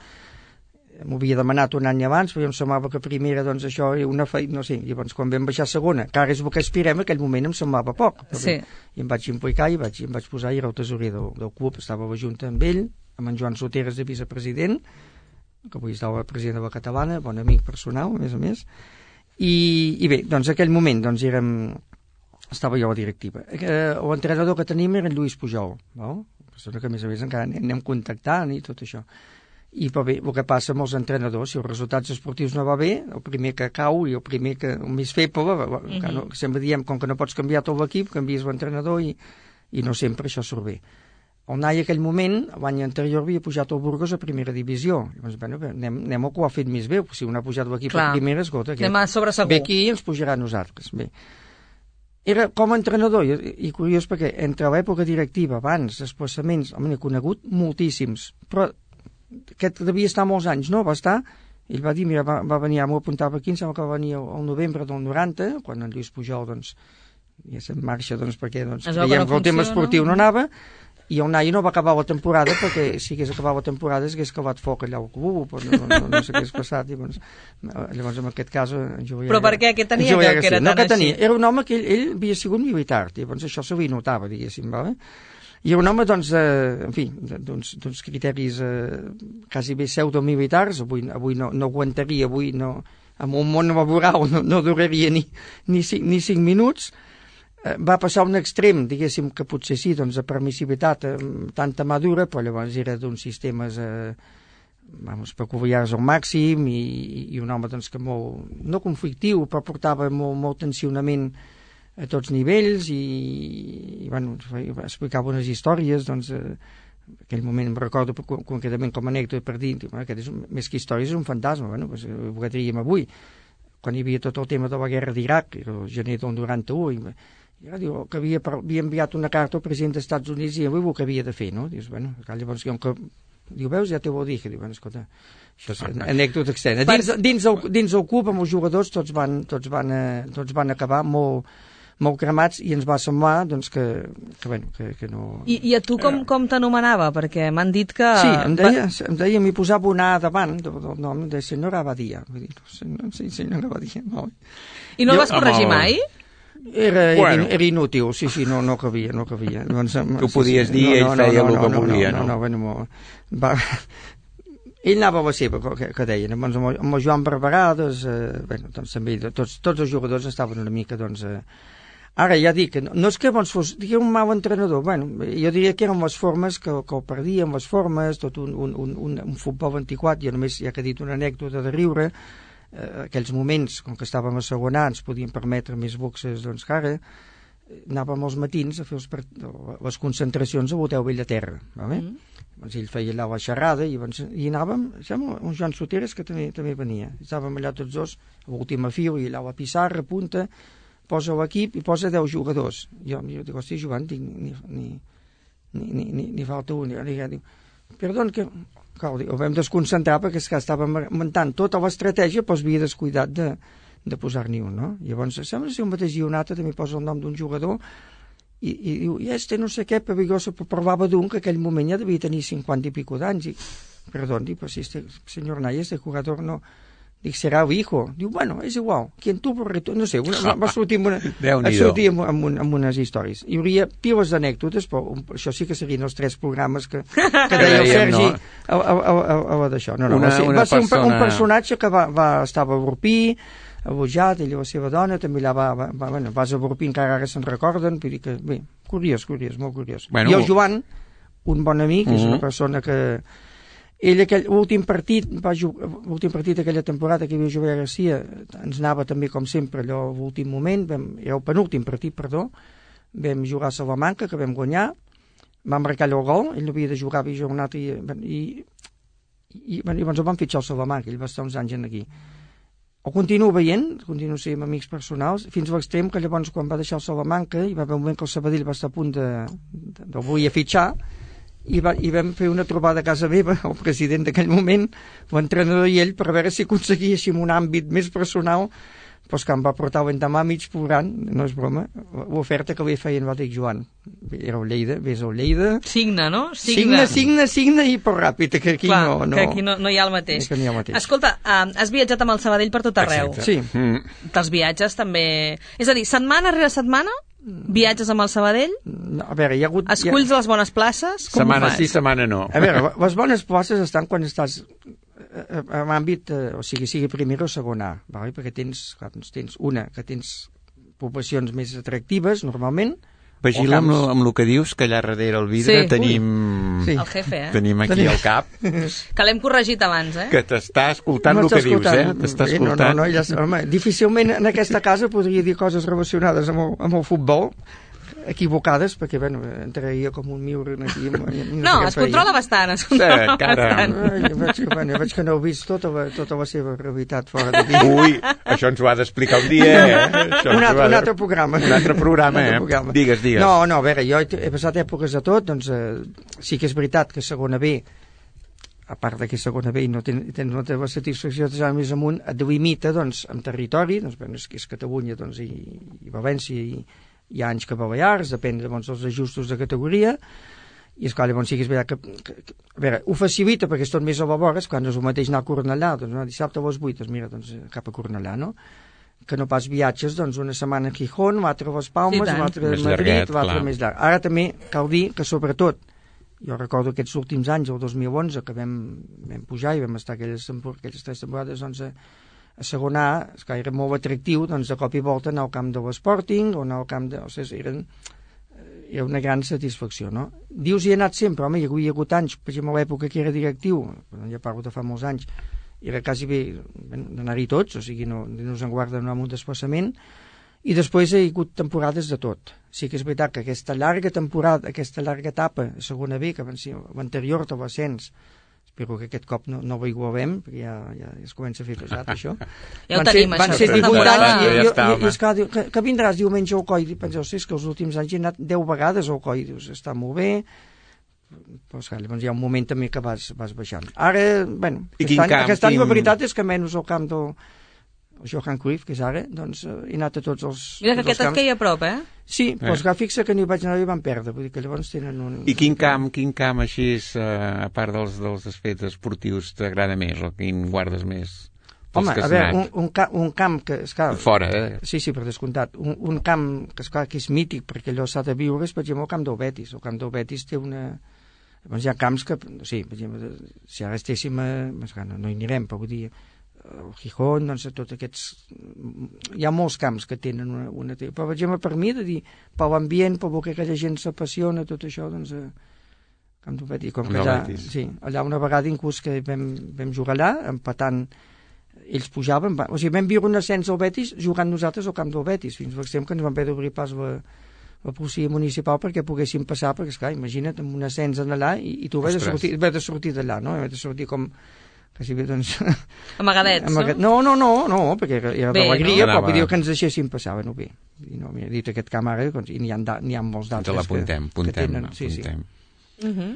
m'ho havia demanat un any abans, però em semblava que primera, doncs això era una feina, no sé, llavors quan vam baixar a segona, que ara és el que aspirem, en aquell moment em semblava poc, sí. I em vaig implicar i vaig, em vaig posar, i era el tesorer del, del club, estava a la Junta amb ell, amb en Joan Soteres de vicepresident, que avui estava president de la Catalana, bon amic personal, a més a més, i, i bé, doncs aquell moment, doncs érem, estava jo a la directiva. Eh, l'entrenador que tenim era en Lluís Pujol, no? Persona que a més a més encara anem contactant i tot això. I però bé, el que passa amb els entrenadors, si els resultats esportius no va bé, el primer que cau i el primer que el més feble, mm-hmm. no, sempre diem, com que no pots canviar tot l'equip, canvies l'entrenador i, i no sempre això surt bé. El Nai en aquell moment, l'any anterior havia pujat el Burgos a primera divisió. Llavors, bueno, anem, anem al que ho ha fet més bé, si un ha pujat l'equip a primera, escolta, anem a sobre segur. Ve aquí i ens pujarà a nosaltres. Bé. Era com a entrenador, i, i curiós perquè entre l'època directiva, abans, desplaçaments, home, n'he conegut moltíssims, però aquest devia estar molts anys, no? Va estar, ell va dir, mira, va, va venir, m'ho apuntava aquí, em sembla que va venir al novembre del noranta, quan en Lluís Pujol, doncs, ja se'n marxa, doncs, perquè doncs, veiem que el tema esportiu no anava, i el Nai no va acabar la temporada, perquè si hagués acabat la temporada s'hagués acabat foc allà al club, no, no, no, no sé què hagués passat, i doncs, llavors en aquest cas... Però per què? Què tenia que, que era no, tan que tenia, així? era un home que ell, ell havia sigut militar, i llavors això se li notava, diguéssim, vale? I un home, doncs, eh, en fi, d'uns criteris eh, quasi bé pseudomilitars, avui, avui no, no aguantaria, avui no, amb un món laboral no, no duraria ni, ni, cinc, ni cinc minuts, eh, va passar un extrem, diguéssim, que potser sí, doncs, de permissivitat eh, tanta madura, però llavors era d'uns sistemes eh, vamos, peculiars al màxim, i, i un home, doncs, que molt, no conflictiu, però portava molt, molt tensionament a tots nivells i, i bueno, explicava unes històries, doncs, eh, en aquell moment em recordo concretament com a anècdota per dir, bueno, aquest és un, més que històries és un fantasma, bueno, pues, ho diríem avui, quan hi havia tot el tema de la guerra d'Iraq, el gener del noranta-u, i, i diu, que havia, havia enviat una carta al president dels Estats Units i avui el que havia de fer, no? Dius, bueno, llavors, que, diu, veus, ja te ho dic, diu, bueno, escolta, això és una anècdota externa. Dins, dins, el, dins el club, amb els jugadors, tots van, tots van, eh, tots van acabar molt molt cremats i ens va semblar doncs, que, que, bueno, que, que no... I, I a tu com, com t'anomenava? Perquè m'han dit que... Sí, em deia, em deia m'hi posava una A davant del, del nom de senyora Abadia. Vull dir, sí, senyora Abadia. No. I no jo, el vas corregir mai? Era, bueno. era, era inútil, sí, sí, no, no cabia, no cabia. Doncs, tu sí, podies sí, dir, no, ell no, feia no, el que no, volia, no? No, no, bueno, va... Ell anava a la seva, que, que deien, doncs, amb el Joan Barberà, doncs, eh, bueno, doncs, també, tots, tots els jugadors estaven una mica, doncs... Eh, ara ja dic, no, no és que doncs, fos un mal entrenador, bueno, jo diria que eren les formes que, que el perdien, les formes, tot un, un, un, un, un futbol antiquat, jo només ja que he dit una anècdota de riure, eh, aquells moments, com que estàvem a segona, ens podien permetre més boxes, doncs que ara anàvem els matins a fer els, les concentracions a l'Hotel Bellaterra, vale? Mm. Doncs ell feia allà la xerrada i, doncs, i anàvem, sembla, un Joan Soteres que també, també venia, estàvem allà tots dos, a l'última fil, i allà a la pissarra, punta, posa l'equip i posa deu jugadors. Jo, jo dic, hosti, Joan, dic, ni, ni, ni, ni, ni, ni falta un. I dic, perdó, que cal, dic, ho vam desconcentrar perquè és que estàvem muntant tota l'estratègia, però es havia descuidat de, de posar-n'hi un, no? Llavors, sembla ser un mateix guionata, també posa el nom d'un jugador i, i diu, i este no sé què, però jo se provava d'un que aquell moment ja devia tenir cinquanta i pico d'anys. I, perdó, dic, però si este senyor Naya, este jugador no... Dic, serà el hijo. Diu, bueno, és igual. Quien tuvo retorno... No sé, una, va sortir, amb, una, va sortir amb, amb, un, amb unes històries. Hi hauria piles d'anècdotes, però un, això sí que serien els tres programes que, que deia el Sergi no? a, a, a, a, a d'això. No, no, una, va ser, va ser persona... un, un personatge que va, va estava a Borpí, a Bojat, ell i la seva dona, també allà va, va, va, bueno, vas a Borpí, encara ara se'n recorden, vull dir que, bé, curiós, curiós, molt curiós. Bueno, I el Joan, un bon amic, uh -huh. és una persona que... Ell, aquell últim partit, va jugar, l'últim partit d'aquella temporada que hi havia Jover Garcia, ens anava també, com sempre, allò a l'últim moment, vam, era el penúltim partit, perdó, vam jugar a Salamanca, que vam guanyar, vam marcar el gol, ell no havia de jugar, havia jugat un altre, i, i, i, i, i llavors el vam fitxar al Salamanca, ell va estar uns anys aquí. ho continuo veient, continuo sent amics personals, fins a l'extrem que llavors quan va deixar el Salamanca hi va haver un moment que el Sabadell va estar a punt de, de, de volia fitxar i, va, i vam fer una trobada a casa meva, el president d'aquell moment, l'entrenador i ell, per veure si aconseguíssim un àmbit més personal, doncs que em va portar l'endemà mig plorant, no és broma, l'oferta que li feien, va dir Joan, era el Lleida, vés al Lleida... Signa, no? Signa, signa, signa i per ràpid, que aquí Clar, no, no... que aquí no, no hi ha el mateix. Que no hi ha el mateix. Escolta, uh, has viatjat amb el Sabadell per tot arreu. Exacte. Sí. Mm. Dels viatges també... És a dir, setmana rere setmana, viatges amb el Sabadell? No, a veure, hi ha hagut... Esculls ha... les bones places? Com setmana ho fas? sí, setmana no. A veure, les bones places estan quan estàs en àmbit, eh, o sigui, sigui primera o segona A, vale? Perquè tens, clar, doncs tens una, que tens poblacions més atractives, normalment. Vigila amb, lo- amb el que dius, que allà darrere el vidre Sí. tenim... Sí. El jefe, eh? Tenim aquí Tenim- al cap, Que l'hem corregit abans, eh? que t'està escoltant el que dius, eh? T'està Bé, no, escoltant. no, no, ja, home, difícilment en aquesta casa podria dir coses relacionades amb el, amb el futbol, equivocades, perquè, bueno, entraria com un miure aquí. No, No, es controla bastant, es controla cara. bastant. Jo veig, que, bueno, jo veig que no heu vist tota la, tota la seva realitat fora d'aquí. Ui, això ens ho ha d'explicar un dia, eh? Això ens Un ho altre, ha un de- altre programa. Un altre programa, Un altre eh? programa. Digues, digues. No, no, a veure, jo he, he passat èpoques de tot, doncs eh, sí que és veritat que segona B, a part de que segona B no ten, ten, no té la satisfacció de anar més amunt, et delimita, doncs, amb territori, doncs, bueno, és que és Catalunya, doncs, i, i València, i hi ha anys que Balears, depèn doncs, dels ajustos de categoria, i esclar, llavors sí que és veritat que, que, que a veure, ho facilita perquè és tot més a la vora, quan no és el mateix anar a Cornellà, doncs no, dissabte a les vuit, doncs mira, doncs cap a Cornellà, no? Que no pas viatges, doncs una setmana a Gijón, l'altra a les Palmes, I tant. l'altra a Més Madrid, llarguet, l'altra clar. més llarg. Ara també cal dir que sobretot, jo recordo aquests últims anys, el dos mil onze, que vam, vam pujar i vam estar aquelles, tempor- aquelles tres temporades, doncs, a, a segona A, és que era molt atractiu, doncs de cop i volta anar al camp de l'Sporting o anar al camp de... O sigui, eren, era una gran satisfacció, no? Dius, hi he anat sempre, home, hi havia hagut anys, per exemple, a l'època que era directiu, ja parlo de fa molts anys, era quasi bé d'anar-hi tots, o sigui, no, no se'n guarda anar amb un desplaçament, i després hi ha hagut temporades de tot. Sí que és veritat que aquesta llarga temporada, aquesta llarga etapa, a segona B, que van ser l'anterior de l'ascens, espero que aquest cop no, no ho igualem, perquè ja, ja es comença a fer pesat, això. Ja ho Van tenim, ser, van això, ser aquesta divuit temporada. anys, i, Ja i, està, i, home. i esclar, diu, que, que vindràs diumenge al coi, i penseu, sí, és que els últims anys he anat deu vegades al coi, dius, està molt bé, però esclar, llavors hi ha un moment també que vas, vas baixant. Ara, bueno, I aquest quin any, camp, aquest any quin- la veritat és que menys al camp del el Johan Cruyff, que és ara, doncs eh, he anat a tots els, Mira que tots els aquest et camps. queia a prop, eh? Sí, però esclar, fixa que no hi vaig anar i van perdre, vull dir que llavors tenen un... I quin camp, quin camp així, eh, a part dels, dels aspectes esportius, t'agrada més, o quin guardes més? dels Home, que a has veure, anat? un, un, ca un camp que... Esclar, Fora, eh? Sí, sí, per descomptat. Un, un camp que, esclar, que és mític, perquè allò s'ha de viure, és, per exemple, el camp del Betis. El camp del Betis té una... Llavors hi ha camps que... Sí, per exemple, si ara estéssim a... Esclar, no, no hi anirem, però vull dir... El Gijón, doncs, tots aquests... Hi ha molts camps que tenen una... una... Però, per exemple, per mi, de dir, per l'ambient, per el que aquella gent s'apassiona, tot això, doncs... Eh, camp del Betis. Com que Del allà, Betis. sí, allà una vegada inclús que vam, vam jugar allà, empatant ells pujaven, va, o sigui, vam viure un ascens al Betis jugant nosaltres al camp del Betis, fins a l'extrem que ens van haver d'obrir pas la, la policia municipal perquè poguéssim passar, perquè, esclar, imagina't, amb un ascens en allà i, i tu haver de Ostres. sortir, haver de sortir d'allà, no? Haver de sortir com quasi bé, doncs... Amagadets, Amagat... no? No, no, no, no, perquè era, era Bé, d'alegria, no? però vull dir Anava- que ens deixéssim passar, bueno, bé. I no, mira, dit aquest camp ara, doncs, i n'hi ha, da- n'hi ha molts Ens d'altres l'apuntem, que, que apuntem, tenen... Sí, sí. apuntem. Uh -huh.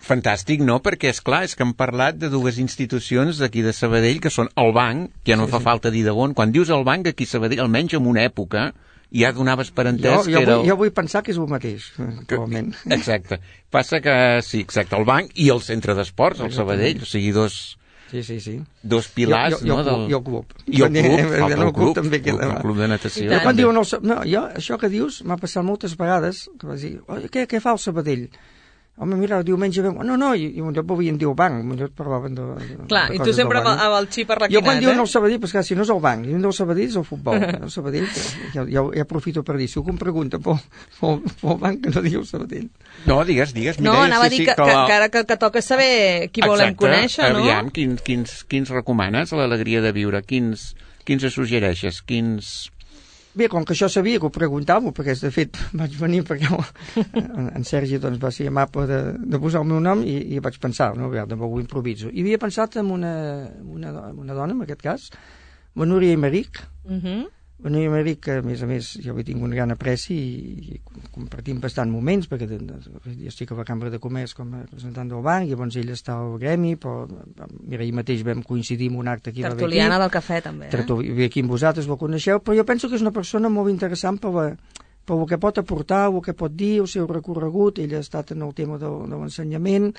Fantàstic, no? Perquè, és clar, és que hem parlat de dues institucions d'aquí de Sabadell, que són el banc, que ja no Sí, fa sí. falta dir de on. Quan dius el banc, aquí a Sabadell, almenys en una època, ja donaves per entès Jo, que jo, era... vull, el- jo vull pensar que és el mateix, actualment. Exacte. Passa que, sí, exacte, el banc i el centre d'esports, el Exactament. Sabadell, o sigui, dos, Sí, sí, sí. dos pilars, jo, jo, no? jo, Del... I el club. I el club, El, falta el club, també el, queda. el club de natació. I Jo tant. quan també. diuen el, Sa- no, jo, això que dius m'ha passat moltes vegades, que vas dir, "Oi, què, què fa el Sabadell? Home, mira, el diumenge vam... No, no, i, i potser volien dir el banc, potser parlaven de, de Clar, de i tu coses sempre del amb, banc. amb el xip Jo arrequinat, quan diuen eh? el Sabadell, pues, clar, si no és el banc, si no és el Sabadell és el futbol. El Sabadell, ja, ja, ja aprofito per dir, si algú em pregunta pel, pel, pel banc, que no digui el Sabadell. No, digues, digues. No, Mireia, anava a sí, dir sí, que, que, que ara que, que toca saber qui volem Exacte. conèixer, no? Aviam, quins, quins, quins recomanes a l'alegria de viure? Quins, quins es suggereixes? Quins... Bé, com que això sabia que ho preguntava, perquè de fet vaig venir perquè en, en Sergi doncs, va ser amable de, de posar el meu nom i, i vaig pensar, no? A veure, ho improviso. I havia pensat en una, una, do- una dona, en aquest cas, la Núria Imeric, Uh -huh. la Núria Imeric, que a més a més jo hi tinc un gran apreci i, i compartim bastant moments, perquè de, de, jo estic a la Cambra de Comerç com a representant del banc, llavors ell està al gremi, però mira, ahir mateix vam coincidir en un acte aquí. Tertuliana del cafè, també. Eh? Ve aquí amb vosaltres, la coneixeu, però jo penso que és una persona molt interessant per, la, per el que pot aportar, el que pot dir, el seu recorregut. Ell ha estat en el tema de, de l'ensenyament,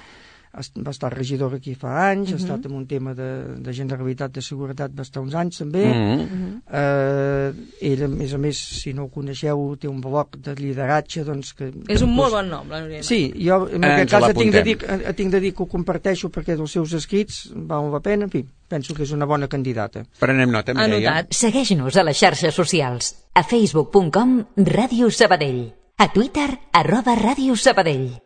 va estar regidor aquí fa anys, uh -huh. ha estat en un tema de, de Generalitat de Seguretat bastants anys també. Uh -huh. eh, ell, a més a més, si no ho coneixeu, té un bloc de lideratge, doncs... Que, és un que, molt bon nom, la Núria. Sí, jo en aquest cas tinc de, dir, tinc de dir que ho comparteixo perquè dels seus escrits val la pena, en fi, penso que és una bona candidata. Prenem nota, Mireia. Anotat. Segueix-nos a les xarxes socials. A facebook punt com Ràdio Sabadell. A Twitter, arroba Ràdio Sabadell.